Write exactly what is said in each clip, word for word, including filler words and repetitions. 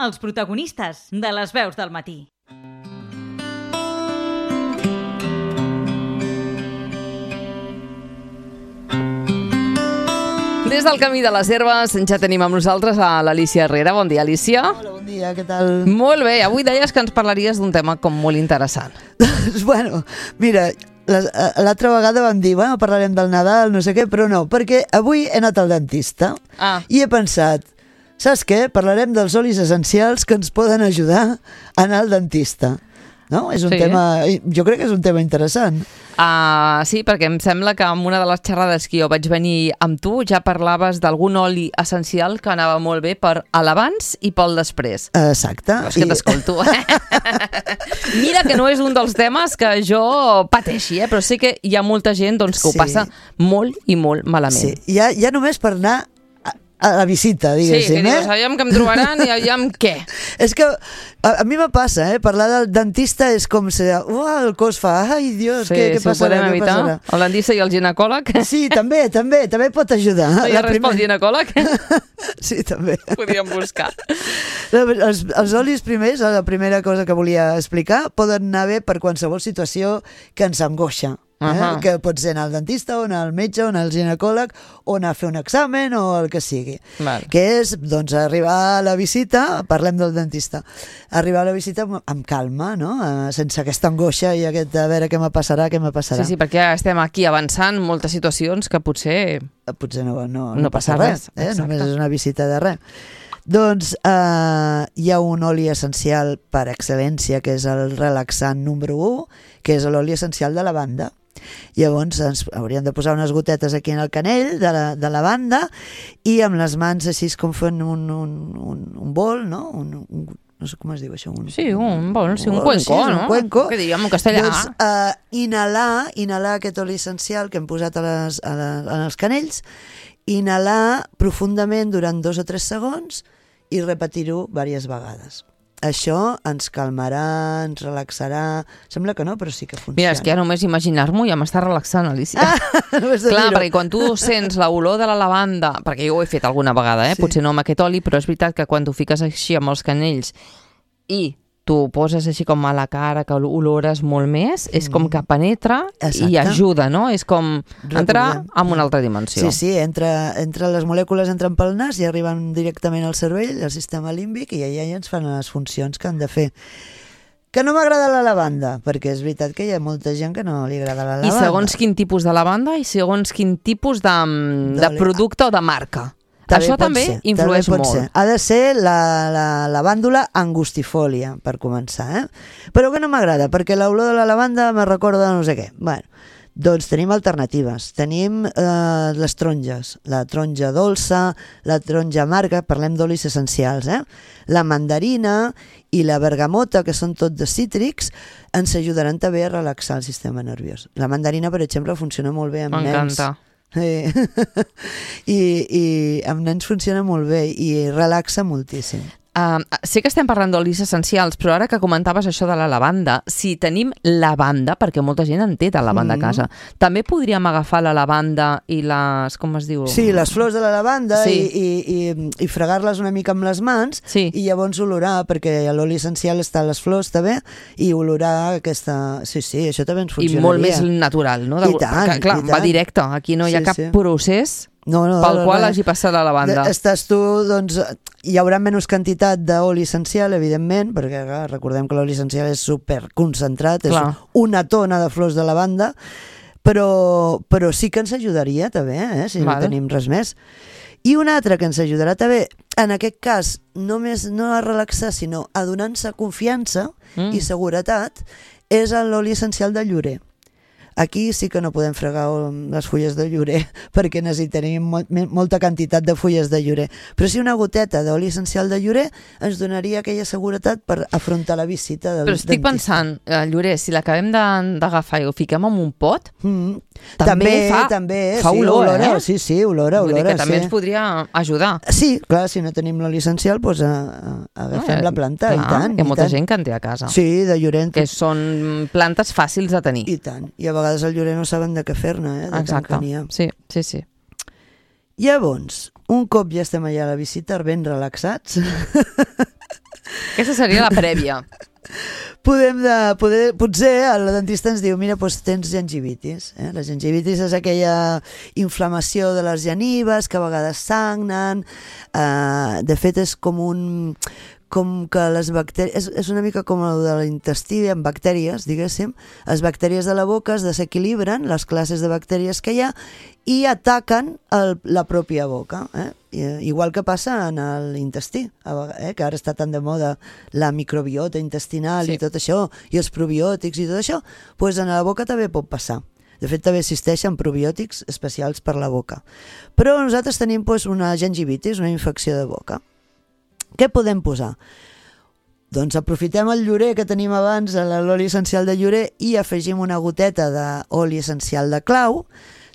els protagonistes de les veus del matí. Des del Camí de les Herbes ja tenim amb nosaltres a l'Alícia Herrera. Bon dia, Alícia. Hola, bon dia, què tal? Molt bé, avui deies que ens parlaries d'un tema com molt interessant. Bueno, mira, l'altra vegada vam dir, bueno, parlarem del Nadal, no sé què, però no, perquè avui he anat al dentista ah. i he pensat, saps què? Parlarem dels olis essencials que ens poden ajudar a anar al dentista. No? És un sí. tema, jo crec que és un tema interessant. Uh, sí, perquè em sembla que en una de les xerrades que jo vaig venir amb tu ja parlaves d'algun oli essencial que anava molt bé per a l'abans i pel després. Exacte. És que I... t'escolto, eh? Mira que no és un dels temes que jo pateixi, eh? Però sé que hi ha molta gent doncs, que sí. ho passa molt i molt malament. Sí, ja, ja només per anar a la visita, diguéssim. Sí, que dius, aviam que em trobaran i aviam què. És que a, a mi me passa, eh? Parlar del dentista és com si, uah, el cos fa, ai, Dios, sí, què, què si passarà? Ho podem evitar, passarà? El dentista i el ginecòleg. Sí, també, també, també pot ajudar. No hi ha res primer... pel ginecòleg? Sí, també. Podríem buscar. Els, els olis primers, la primera cosa que volia explicar, poden anar bé per qualsevol situació que ens angoixa. Eh? Uh-huh. Que pot ser anar al dentista o anar al metge o anar al ginecòleg o anar a fer un examen o el que sigui. Val. Que és, doncs, arribar a la visita, parlem del dentista, arribar a la visita amb, amb calma, no? Uh, sense aquesta angoixa i aquest a veure què me passarà, què me passarà. Sí, sí, perquè ja estem aquí avançant moltes situacions que potser... Potser no, no, no, no passa res, res. Eh? Només és una visita de res. Doncs eh, hi ha un oli essencial per excel·lència que és el relaxant número u, que és l'oli essencial de lavanda. Llavors ens hauríem de posar unes gotetes aquí en el canell de la, de lavanda i amb les mans així com fent un, un, un, un bol, no? Un, un, no sé com es diu això. Un, sí, un bol, sí, un, un cuenco, sí, no? Un cuenco. Que diríem en castellà. Doncs eh, inhalar, inhalar aquest oli essencial que hem posat a les, a la, en els canells, inhalar profundament durant dos o tres segons i repetir-ho diverses vegades. Això ens calmarà, ens relaxarà... Sembla que no, però sí que funciona. Mira, és que ja només imaginar-m'ho ja m'està relaxant, Alícia. Ah, clar, perquè quan tu sents l'olor de la lavanda, perquè jo ho he fet alguna vegada, eh? Sí. Potser no amb aquest oli, però és veritat que quan tu fiques així amb els canells i tu poses així com a la cara, que olores molt més, és com que penetra Exacte. I ajuda, no? És com entrar en una altra dimensió. Sí, sí, entra, entra les molècules entren pel nas i arriben directament al cervell, al sistema límbic, i allà ja ens fan les funcions que han de fer. Que no m'agrada la lavanda, perquè és veritat que hi ha molta gent que no li agrada la lavanda. I segons quin tipus de lavanda i segons quin tipus de, de producte o de marca. També Això també ser, influeix també molt. Ser. Ha de ser la, la lavàndula angustifolia, per començar, eh? Però que no m'agrada, perquè l'olor de la lavanda me recorda no sé què. Bueno, doncs tenim alternatives. Tenim eh, les taronges, la taronja dolça, la taronja amarga, parlem d'olis essencials, eh? La mandarina i la bergamota, que són tots de cítrics, ens ajudaran també a relaxar el sistema nerviós. La mandarina, per exemple, funciona molt bé amb nens. M'encanta. Sí. I, i amb nens funciona molt bé i relaxa moltíssim. Uh, sé que estem parlant d'olis essencials, però ara que comentaves això de la lavanda, si tenim lavanda, perquè molta gent en té de lavanda mm. a casa, també podríem agafar la lavanda i les... com es diu? Sí, les flors de la lavanda sí. i, i, i, i fregar-les una mica amb les mans sí. i llavors olorar, perquè l'oli essencial està a les flors també, i olorar aquesta... Sí, sí, això també ens funcionaria. I molt més natural, no? I tant, que, clar, i tant. Va directe, aquí no hi ha sí, cap sí. procés... No, no, pel no, qual no, hagi passat la lavanda. Estàs tu, doncs, hi haurà menys quantitat d'oli essencial, evidentment, perquè clar, recordem que l'oli essencial és superconcentrat, és clar. Una tona de flors de lavanda, però, però sí que ens ajudaria també, eh, si vale. No tenim res més. I una altra que ens ajudarà també, en aquest cas, només no a relaxar, sinó a donar-se confiança mm. i seguretat, és l'oli essencial de llorer. Aquí sí que no podem fregar les fulles de llorer perquè necessitaríem molt, molta quantitat de fulles de llorer. Però si una goteta d'oli essencial de llorer ens donaria aquella seguretat per afrontar la visita del dentista. Però estic dentista. pensant, eh, llorer, si l'acabem d'agafar i ho fiquem en un pot, mm. també, també fa, també, fa sí, olor, olora, eh? Sí, sí, olora, Vull olora. dir que també sí. ens podria ajudar. Sí, clar, si no tenim l'oli essencial, doncs a, a, agafem eh, la planta, clar, i tant. Hi ha i molta tant. gent que en té a casa. Sí, de llorer. Que són plantes fàcils de tenir. I tant. I a vegades el llorer no saben de què fer-ne, eh? De Exacte. tant que n'hi ha. Sí, sí, sí. Llavors, un cop ja estem allà a la visita ben relaxats, Aquesta seria la prèvia. Podem de, poder, potser el dentista ens diu, mira, doncs tens gingivitis. Eh? La gingivitis és aquella inflamació de les genives que a vegades sagnen. Eh, de fet, és com un... com que les bactèries... És, és una mica com el de l'intestí, amb bactèries, diguéssim. Les bactèries de la boca es desequilibren, les classes de bactèries que hi ha, i ataquen el, la pròpia boca. Eh? I, igual que passa en l'intestí, eh? Que ara està tan de moda la microbiota intestinal sí. I tot això, i els probiòtics i tot això, doncs en la boca també pot passar. De fet, també existeixen probiòtics especials per la boca. Però nosaltres tenim doncs, una gingivitis, una infecció de boca. Què podem posar? Doncs aprofitem el llorer que tenim abans, l'oli essencial de llorer, i afegim una goteta d'oli essencial de clau.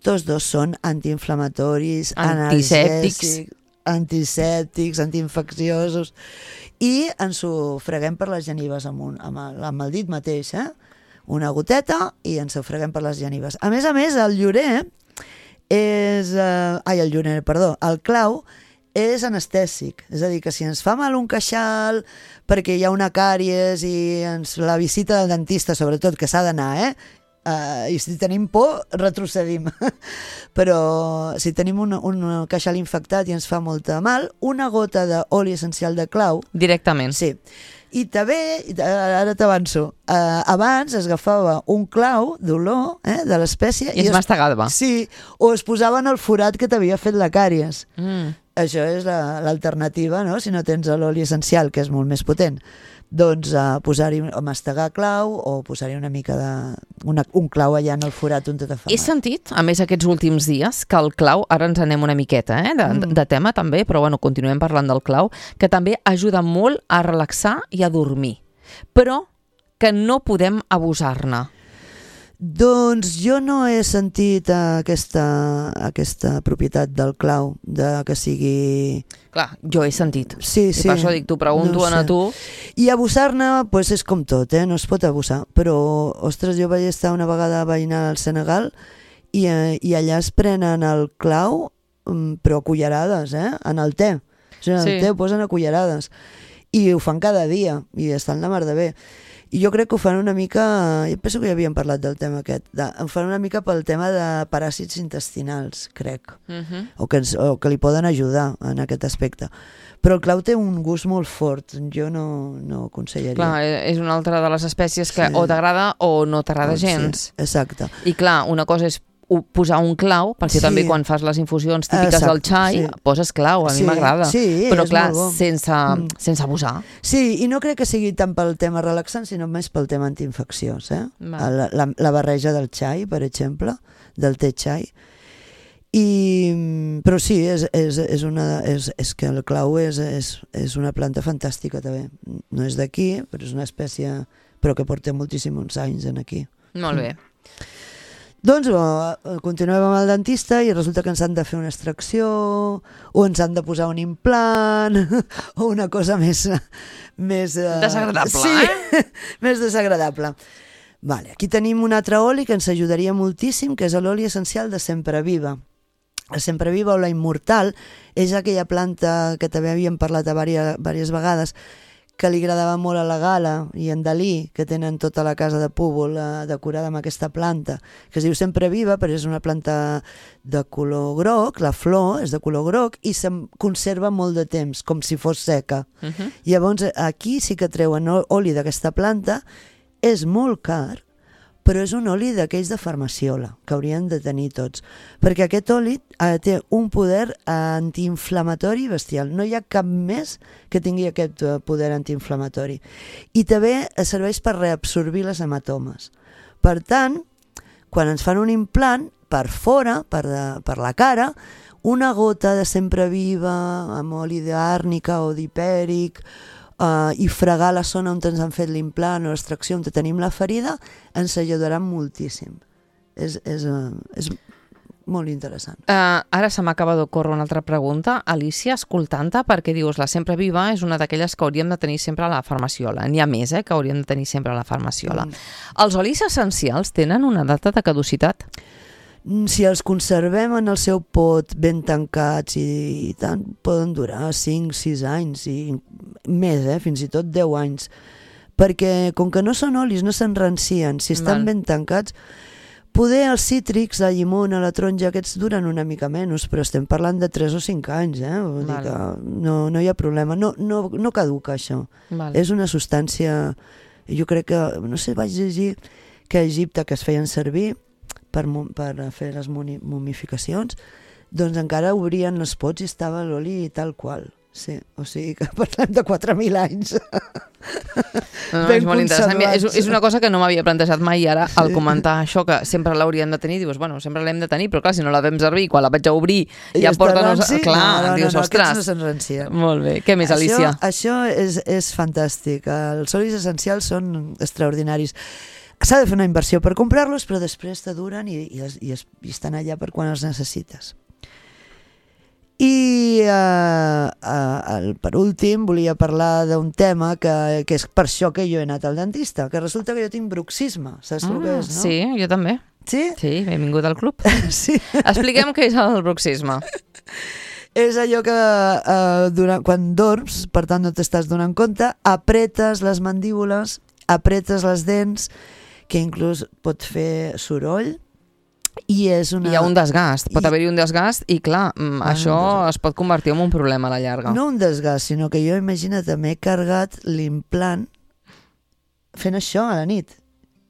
Tots dos són antiinflamatoris, antisèptics, antisèptics, antiinfecciosos, i ens ho freguem per les genives amb, un, amb, el, amb el dit mateix, eh? Una goteta i ens ho freguem per les genives. A més a més, el llorer és... Eh, ai, el llorer, perdó, el clau és anestèsic, és a dir, que si ens fa mal un queixal perquè hi ha una càries i ens la visita del dentista, sobretot, que s'ha d'anar, eh? Uh, i si tenim por, retrocedim. Però si tenim un, un queixal infectat i ens fa molta mal, una gota d'oli essencial de clau... Directament. Sí. I també, ara t'avanço, uh, abans es agafava un clau d'olor eh, de l'espècie... I es, es mastegava. Sí, o es posava en el forat que t'havia fet la càries. Mm. Això és l'alternativa, no? Si no tens l'oli essencial, que és molt més potent, doncs uh, posar-hi, o mastegar clau o posar-hi una mica de... Una, un clau allà en el forat on te fa mal. He sentit, a més aquests últims dies, que el clau, ara ens anem una miqueta eh, de, mm. de tema també, però bueno, continuem parlant del clau, que també ajuda molt a relaxar i a dormir, però que no podem abusar-ne. Doncs jo no he sentit aquesta, aquesta propietat del clau, de que sigui... Clar, jo he sentit. Sí, sí. I per això dic, t'ho pregunto no a tu. I abusar-ne, pues, és com tot, eh? No es pot abusar. Però, ostres, jo vaig estar una vegada veïnant al Senegal i, eh, i allà es prenen el clau, però a cullerades, eh? En el te. O sigui, en sí. el te ho posen a cullerades. I ho fan cada dia, i estan la mar de bé. I jo crec que ho fan una mica, jo penso que ja havíem parlat del tema aquest, de, ho fan una mica pel tema de paràsits intestinals, crec, uh-huh. o, que ens, o que li poden ajudar en aquest aspecte. Però el clau té un gust molt fort, jo no, no aconsellaria. Clar, és una altra de les espècies que sí. o t'agrada o no t'agrada oh, gens. Sí, exacte. I clar, una cosa és posar un clau, perquè sí. també quan fas les infusions típiques Exacte, del xai, sí. poses clau, a sí, mi m'agrada. Sí, però clar, bo. sense, mm. sense abusar. Sí, i no crec que sigui tant pel tema relaxant, sinó més pel tema antiinfecciós. Eh? La, la, la barreja del xai, per exemple, del te xai. I, però sí, és, és, és, una, és, és que el clau és, és, és una planta fantàstica també. No és d'aquí, però és una espècie però que porta moltíssims anys en aquí. Molt bé. Mm. Doncs bo, continuem amb el dentista i resulta que ens han de fer una extracció o ens han de posar un implant o una cosa més... més desagradable, sí, eh? més desagradable. Vale, aquí tenim un altre oli que ens ajudaria moltíssim, que és l'oli essencial de Sempreviva. La Sempreviva o la Immortal és aquella planta que també havíem parlat a diverses, diverses vegades, que li agradava molt a la Gala i en Dalí, que tenen tota la casa de Púbol eh, decorada amb aquesta planta, que es diu Sempreviva, però és una planta de color groc, la flor és de color groc i se'n conserva molt de temps, com si fos seca. Uh-huh. Llavors, aquí sí que treuen oli d'aquesta planta, és molt car, però és un oli d'aquells de farmaciola, que haurien de tenir tots, perquè aquest oli eh, té un poder antiinflamatori bestial. No hi ha cap més que tingui aquest poder antiinflamatori. I també serveix per reabsorbir les hematomes. Per tant, quan ens fan un implant, per fora, per, de, per la cara, una gota de Sempreviva amb oli d'àrnica o d'hipèric, Uh, i fregar la zona on ens han fet l'implant o l'extracció on tenim la ferida ens ajudarà moltíssim. És, és, uh, és molt interessant. Uh, ara se m'acaba d'ocórrer una altra pregunta, Alicia, escoltant-te, perquè dius la Sempreviva és una d'aquelles que hauríem de tenir sempre a la farmaciola. N'hi ha més, eh, que hauríem de tenir sempre a la farmaciola. Mm. Els olis essencials tenen una data de caducitat? Si els conservem en el seu pot ben tancats i, i tant, poden durar cinc sis anys i més, eh? Fins i tot deu anys. Perquè com que no són olis, no s'enrancien, si estan Val. ben tancats, poder els cítrics, la llimona, la taronja, aquests duren una mica menys, però estem parlant de tres o cinc anys, eh? Vull dir que no, no hi ha problema, no, no, no caduca això. Val. És una substància, jo crec que, no sé, vaig llegir que a Egipte que es feien servir per, per fer les momificacions, doncs encara obrien els pots i estava l'oli tal qual. Sí, o sigui que parlem de quatre mil anys. No, no, és molt interessant. És, és una cosa que no m'havia plantejat mai i ara al sí. comentar això, que sempre l'haurien de tenir, dius, bueno, sempre l'hem de tenir, però clar, si no la vam servir, quan la vaig a obrir I ja porta... No, clar, no, no, dius, no, no, ostres. No s'enrancien. Molt bé. Què més, Alicia? Això, això és, és fantàstic. Els olis essencials són extraordinaris. S'ha de fer una inversió per comprar-los, però després te duren i, i, es, i, es, i estan allà per quan els necessites. I uh, uh, per últim volia parlar d'un tema que, que és per això que jo he anat al dentista, que resulta que jo tinc bruxisme, saps ah, el que és, no? Sí, jo també. Sí? Sí, benvingut al club. Sí. Expliquem què és el bruxisme. És allò que uh, durant, quan dorms, per tant no t'estàs donant compte, apretes les mandíbules, apretes les dents, que inclús pot fer soroll, i és una... Hi ha un desgast, pot I... haver-hi un desgast i clar, ah, això no, es pot convertir en un problema a la llarga. No un desgast, sinó que jo, imagina't, m'he carregat l'implant fent això a la nit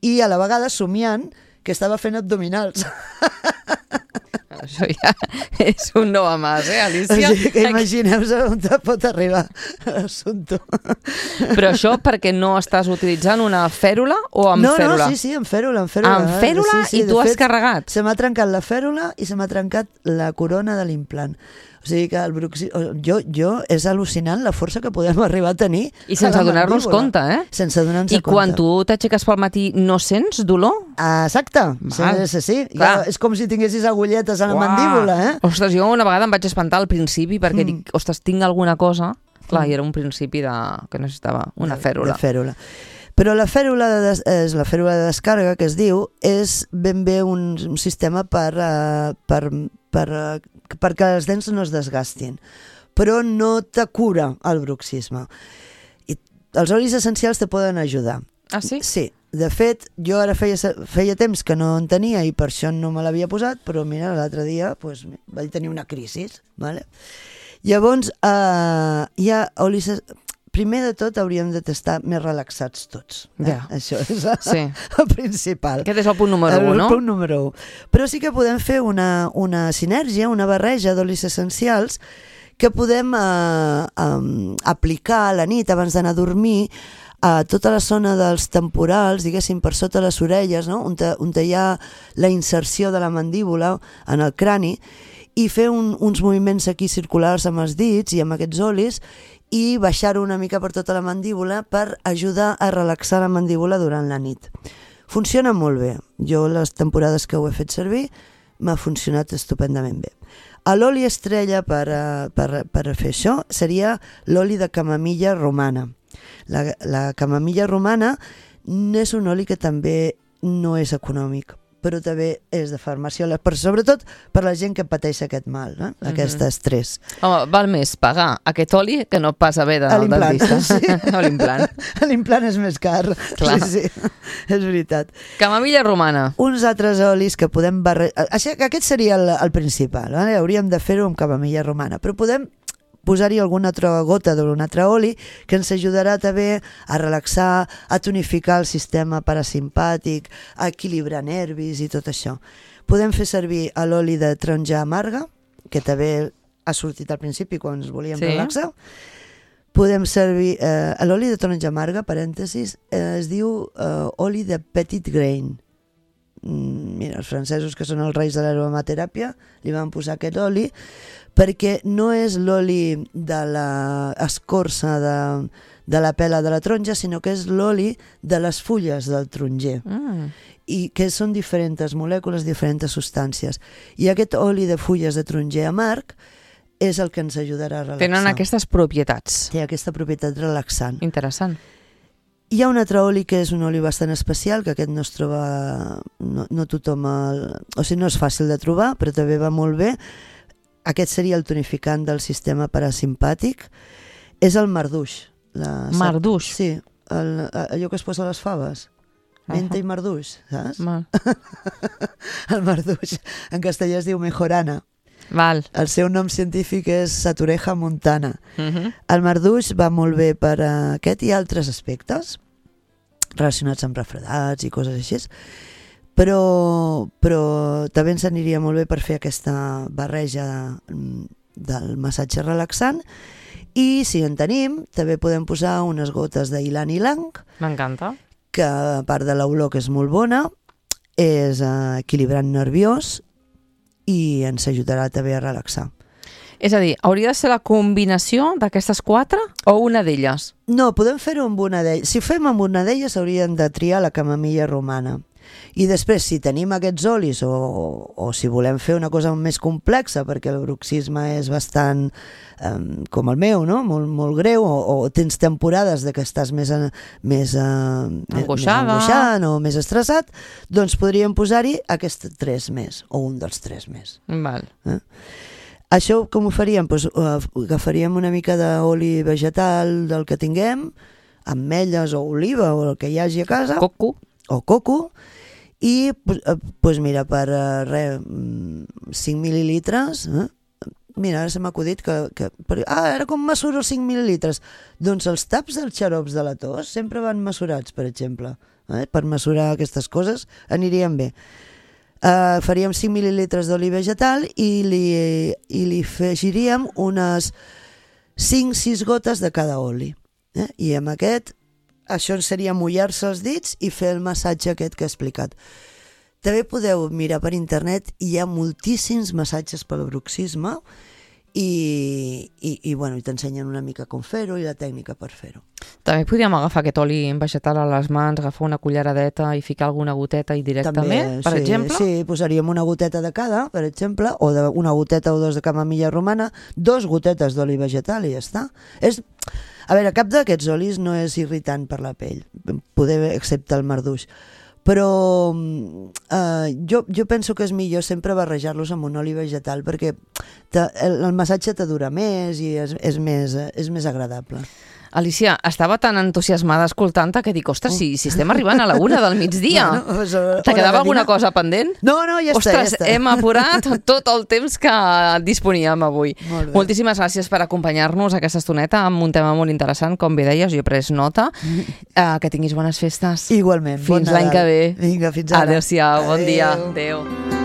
i a la vegada somiant que estava fent abdominals. Això ja és un no a mas, eh, Alicia? O sigui que imagineu-vos on pot arribar l'assumpte. Però això perquè no estàs utilitzant una fèrula o amb no, fèrula? No, sí, sí, amb fèrula. Amb fèrula, amb fèrula sí, sí, i tu fet, has carregat? Se m'ha trencat la fèrula i se m'ha trencat la corona de l'implant. O sigui que el bruxisme... Jo, jo és al·lucinant la força que podem arribar a tenir. I sense donar-nos compte, eh? Sense donar-nos compte. I quan compte. tu t'aixeques pel matí no sents dolor? Exacte. Sí, sí, sí. Ja, és com si tinguessis agulletes a la Uah. mandíbula, eh? Ostres, jo una vegada em vaig espantar al principi perquè mm. dic, ostres, tinc alguna cosa. Clar, mm. i era un principi de... que necessitava una fèrula. De fèrula. Però la fèrula de, des... és la fèrula de descàrrega, que es diu, és ben bé un, un sistema per... Uh, per, per uh, perquè les dents no es desgastin, però no te cura el bruxisme. I els olis essencials te poden ajudar. Ah, sí? Sí. De fet, jo ara feia, feia temps que no en tenia i per això no me l'havia posat, però mira, l'altre dia pues, vaig tenir una crisi. Vale? Llavors, eh, hi ha olis... Primer de tot hauríem de estar més relaxats tots. Eh? Ja. Això és sí. el principal. Aquest és el punt número un, no? El punt número un. Però sí que podem fer una, una sinergia, una barreja d'olis essencials que podem eh, eh, aplicar a la nit abans d'anar a dormir a tota la zona dels temporals, diguéssim, per sota les orelles, no? on, te, on te hi ha la inserció de la mandíbula en el crani, i fer un, uns moviments aquí circulars amb els dits i amb aquests olis i baixar-ho una mica per tota la mandíbula per ajudar a relaxar la mandíbula durant la nit. Funciona molt bé. Jo les temporades que ho he fet servir m'ha funcionat estupendament bé. L'oli estrella per, per, per fer això seria l'oli de camamilla romana. La, la camamilla romana és un oli que també no és econòmic, però també és de farmàcia, però sobretot per la gent que pateix aquest mal, no? Mm-hmm. Aquest estrès. Home, val més pagar aquest oli que no pas haver d'anar al dentista. Sí. O l'implant. L'implant és més car. Clar. Sí, sí, és veritat. Camamilla romana. Uns altres olis que podem barrejar... Aquest seria el, el principal, eh? Hauríem de fer-ho amb camamilla romana, però podem posar-hi alguna altra gota d'un altre oli que ens ajudarà també a relaxar, a tonificar el sistema parasimpàtic, a equilibrar nervis i tot això. Podem fer servir l'oli de taronja amarga, que també ha sortit al principi quan ens volíem sí. relaxar. Podem servir eh, l'oli de taronja amarga, parèntesis, eh, es diu eh, oli de petit grain. Mira, els francesos, que són els reis de l'aromateràpia, li van posar aquest oli perquè no és l'oli de l'escorça de, de la pela de la taronja, sinó que és l'oli de les fulles del taronger. Mm. I que són diferents molècules, diferents substàncies. I aquest oli de fulles de taronger amarg és el que ens ajudarà a relaxar. Tenen aquestes propietats. Té aquesta propietat relaxant. Interessant. Hi ha un altre oli que és un oli bastant especial, que aquest no es troba, no, no tothom, el, o sigui, no és fàcil de trobar, però també va molt bé. Aquest seria el tonificant del sistema parasimpàtic. És el marduix. La, Marduix? Sí, el, allò que es posa a les faves. Menta i marduix, saps? Mal. El marduix. En castellà es diu mejorana. Val. El seu nom científic és Satureja montana. Uh -huh. El marduix va molt bé per a aquest i altres aspectes relacionats amb refredats i coses així, però, però també ens aniria molt bé per fer aquesta barreja del massatge relaxant. I si en tenim, també podem posar unes gotes d'ylang ylang. M'encanta. Que a part de l'olor, que és molt bona, és eh, equilibrant nerviós i ens ajudarà també a relaxar. És a dir, hauria de ser la combinació d'aquestes quatre o una d'elles? No, podem fer-ho amb una d'elles. Si ho fem amb una d'elles hauríem de triar la camamilla romana. I després, si tenim aquests olis o, o si volem fer una cosa més complexa, perquè el bruxisme és bastant um, com el meu, no? molt, molt greu, o, o tens temporades de que estàs més, més, uh, més angoixant o més estressat, doncs podríem posar-hi aquests tres més, o un dels tres més. Val. Eh? Això com ho faríem? Pues, uh, agafaríem una mica d'oli vegetal del que tinguem, ametlles o oliva o el que hi hagi a casa. Coco. O coco. I, pues mira, per uh, re, cinc mil·lilitres, eh? Mira, ara se m'ha acudit que... que per, ah, ara com mesuro els cinc mil·lilitres? Doncs els taps dels xarops de la tos sempre van mesurats, per exemple. Eh? Per mesurar aquestes coses anirien bé. Uh, faríem cinc mil·lilitres d'oli vegetal i li, i li afegiríem unes cinc sis gotes de cada oli. Eh? I amb aquest... Això seria mullar-se els dits i fer el massatge aquest que he explicat. També podeu mirar per internet, hi ha moltíssims massatges pel bruxisme i, i, i, bueno, i t'ensenyen una mica com fer-ho i la tècnica per fer-ho. També podríem agafar aquest oli vegetal a les mans, agafar una culleradeta i ficar alguna goteta i directament, També, per sí, exemple? Sí, posaríem una goteta de cada, per exemple, o de, una goteta o dos de camamilla romana, dos gotetes d'oli vegetal i ja està. És... A veure, cap d'aquests olis no és irritant per la pell, poder, excepte el marduix. Però eh, jo, jo penso que és millor sempre barrejar-los amb un oli vegetal perquè te, el, el massatge te dura més i és, és, més, és més agradable. Alicia, estava tan entusiasmada escoltant-te que dic, ostres, si, si estem arribant a la una del migdia. No, no, pues, uh, Te quedava alguna cosa pendent? No, no, ja ostres, està, ja està. hem apurat tot el temps que disponíem avui. Moltíssimes gràcies per acompanyar-nos aquesta estoneta amb un tema molt interessant, com bé deies, jo he pres nota. Uh, que tinguis bones festes. Igualment. Fins l'any que ve. Vinga, fins ara. Adéu-siau, bon dia. Adéu.